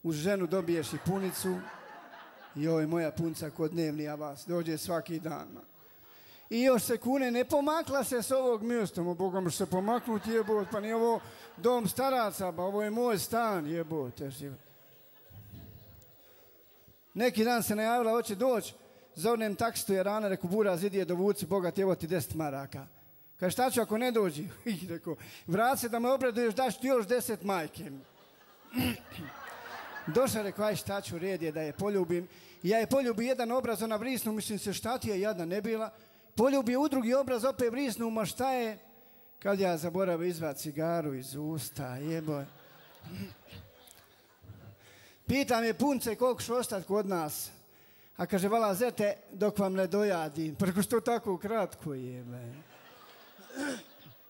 uz ženu dobiješ i punicu. I ovo je moja punca kod dnevni avans, dođe svaki dan. I još se kune, ne pomakla se s ovog mjesta, Boga mi se pomaknuti, jebote, pa nije ovo dom staraca, pa ovo je moj stan, jebote. Neki dan se najavila, hoće doći, zovnem taksistu Jarana, reku, Buraz, idi je dovuci, bogat, evo ti 10 maraka. Kaže, šta ću ako ne dođi? Reku, vrat se da me obraduješ, daš ti još 10 majke. Došla, rekao, aj šta ću, red je da je poljubim. I ja je poljubi jedan obraz, ona vrisnu, mislim se šta ti je jadna ne bila. Poljubi u drugi obraz, opet vrisnu, ma šta je? Kad ja zaboravim izvat cigaru iz usta, jeboj. Pitam je punce koliko ću ostati kod nas. A kaže, vala zete, dok vam ne dojadim. Preko što tako kratko jebe.